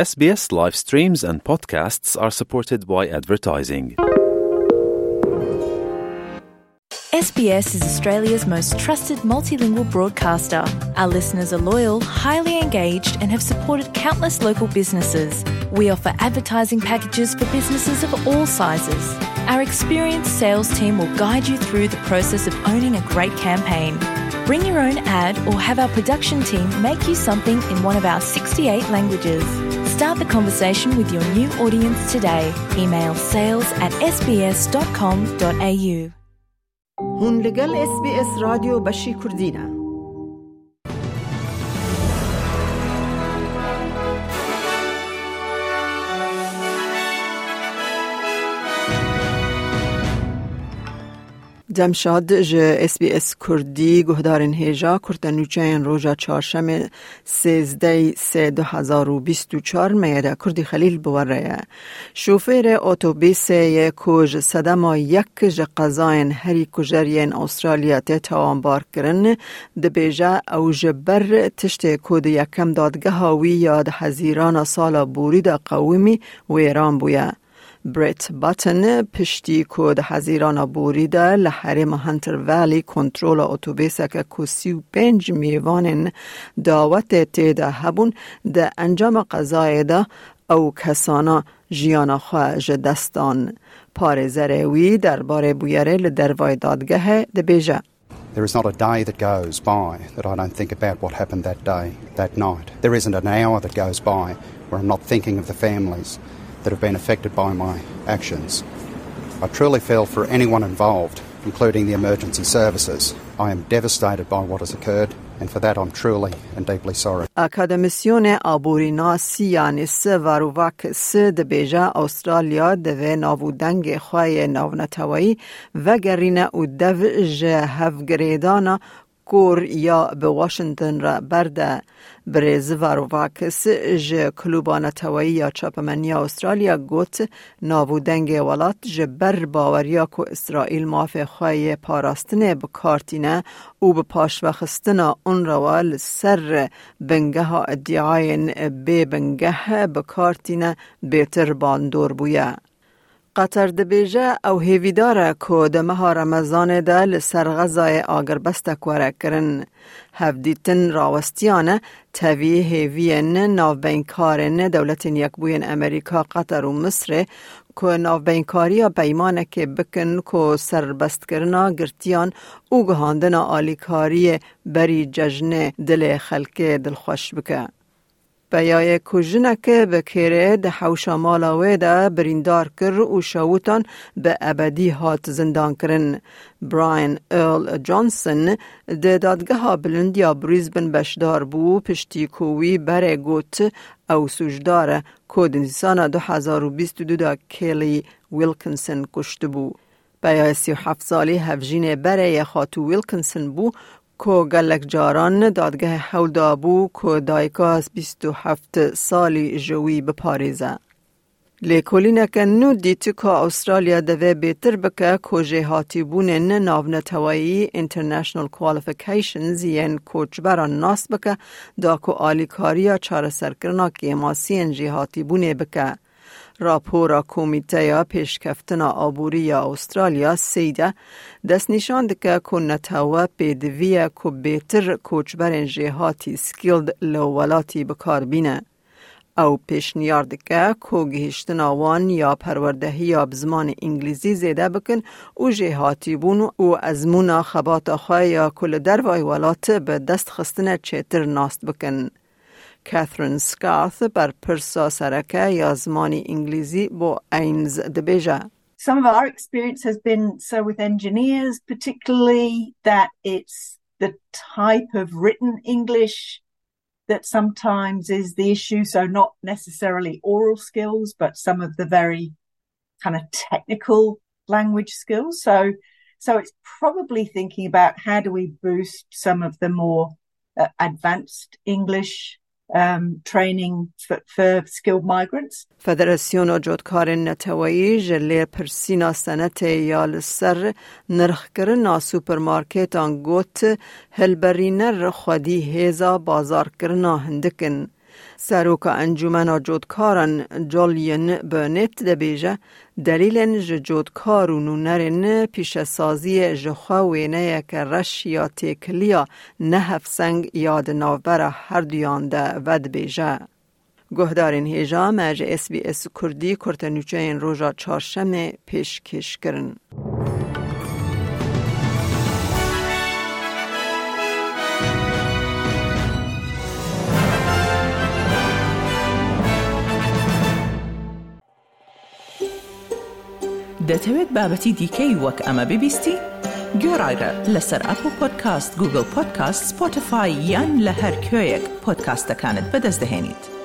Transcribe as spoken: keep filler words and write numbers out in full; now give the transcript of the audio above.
S B S live streams and podcasts are supported by advertising. S B S is Australia's most trusted multilingual broadcaster. Our listeners are loyal, highly engaged, and have supported countless local businesses. We offer advertising packages for businesses of all sizes. Our experienced sales team will guide you through the process of owning a great campaign. Bring your own ad or have our production team make you something in one of our sixty-eight languages. Start the conversation with your new audience today. Email sales at S B S dot com dot A U. Hûn li gel S B S Radyo beşî Kurdî ne. Demşad ji S B S Kurdî guhdarên hêja kurte nûçeyên roja çarşemê sêzdeh sê du hezar û bîst û çar me ye de Kurdî Xelîl bi we re ye. Şofêrê otobîsê yê ku ji sedema yek ji qezayên herî kujer yên Australya tê tawanbar kirin, dibêje ew ji ber tiştê ku di yekem dadgeha wî ya di hezîrana sala borî de qewimî wêran bûye. Brett Button piştî ku di hezîrana borî de li herêma Hunter Valley kontrola otobêseke ku sî û pênc mêvanên dawetê tê de hebûn, di encama qezayê de ew kesana jiyana xwe ji dest dan. Parêzerê wî derbarê bûyerê li dervayê dadgehê dibêje. There is not a day that goes by that I don't think about what happened that day, that night. There isn't an hour that goes by where I'm not thinking of the families that have been affected by my actions. I truly feel for anyone involved, including the emergency services. I am devastated by what has occurred, and for that I'm truly and deeply sorry. Akademîsyonê aborînasî Yanis Varoufakis dibêje Australya divê nav û dengê xwe yê navneteweyî vegerîne û dev ji hevgirêdana kor ya bi Washington re berde. Birêz Varoufakis ji Klûba Neteweyî ya Çapemeniya Australya got, nav û dengê welat ji ber baweriya ku Îsraîl mafê xwe yê parastinê bi kar tîne û bi paşvexistina UNRWA li ser bingeha îdiayên bê bingeh bi kar tîne, bêtir bandor bûye. Qatar dibêje ew hêvîdar e ku di meha Remezanê de li ser Xezayê agirbestek were kirin. Hevdîtin rawestiyane tevî hêviyên navbeynkarên Dewletên Yekbûyên Amerîka, Qatar û Misrê ku navbeynkariya peymanekê bikin ku serbestkirina girtiyan û gihandina alîkariyê berî cejnê dilê xelkê dilxweş bike. Peyayê ku jinek bi kêrê di hewşa mala wê de birîndar kir û şewitan bi ebedî hat zindankirin. Brian Earl Johnson di dadgeha bilind ya Brisbane beşdar bû, piştî ku wî berê got ew sûcdar e ku di Nîsana du hezar û bîst û du de Kelly Wilkinson kuştibû. Peyayê sî û heft salî hevjînê berê yê xatû Wilkinson bû ku gelek caran dadgehê hewl dabû ku dayika bîst û heft salî ji wî biparêze. Lêkolîneke nû dît ku Australya divê bêtir bike ku jêhatîbûnên navneteweyî, international qualifications, yên koçberan nas bike, da ku alîkariya çareserkirina kêmasiyên jêhatîbûnê bike. Rapora Komîteya Pêşkeftina Aborî ya Australya, SEIDA, destnîşan dike ku netewe pêdivî ye ku bêtir koçberên jêhatî, skilled, li welatî bi kar bîne. Ew pêşniyar dike ku gihîştina wan ya perwerdehiya bi zimanê îngilîzî zêde bikin û jêhatîbûn û ezmûna xebata xwe ya ku li dervayî welat bi dest xistine çêtir nas bikin. Catherine Scarth, berpirsa sereke ya zimanê îngilîzî bo AINS, dibêje. Some of our experience has been so with engineers, particularly, that it's the type of written English that sometimes is the issue. So not necessarily oral skills, but some of the very kind of technical language skills. So, so it's probably thinking about how do we boost some of the more, uh, advanced English, um, training for, for skilled migrants. Federasyona Cotkarên Neteweyî ji lêpirsîna senetê ya li ser nirxkirina supermarketan got, hilberîner xwedî hêza bazarkirina hindik in. Seroka Encûmena Cotkaran Julian Burnett dibêje, delîlên ji cotkar û nûnerên pîşesaziyê ji xwe wêneyeke reş ya têkiliya ne hevseng ya di navbera herduyan de vedibêje. Guhdarên hêja me ji S B S Kurdî kurtenûçeyên roja çarşemê pêşkêş kirin. دەتەوێت بابەتی دیکەی وەک ئەمە ببیستی؟ گوێڕایرە لەسەر ئەپڵ پۆدکاست، گوگڵ پۆدکاست، سپۆتیفای یان لە هەر کوێیەک پۆدکاستەکانت بەدەست دەهێنیت.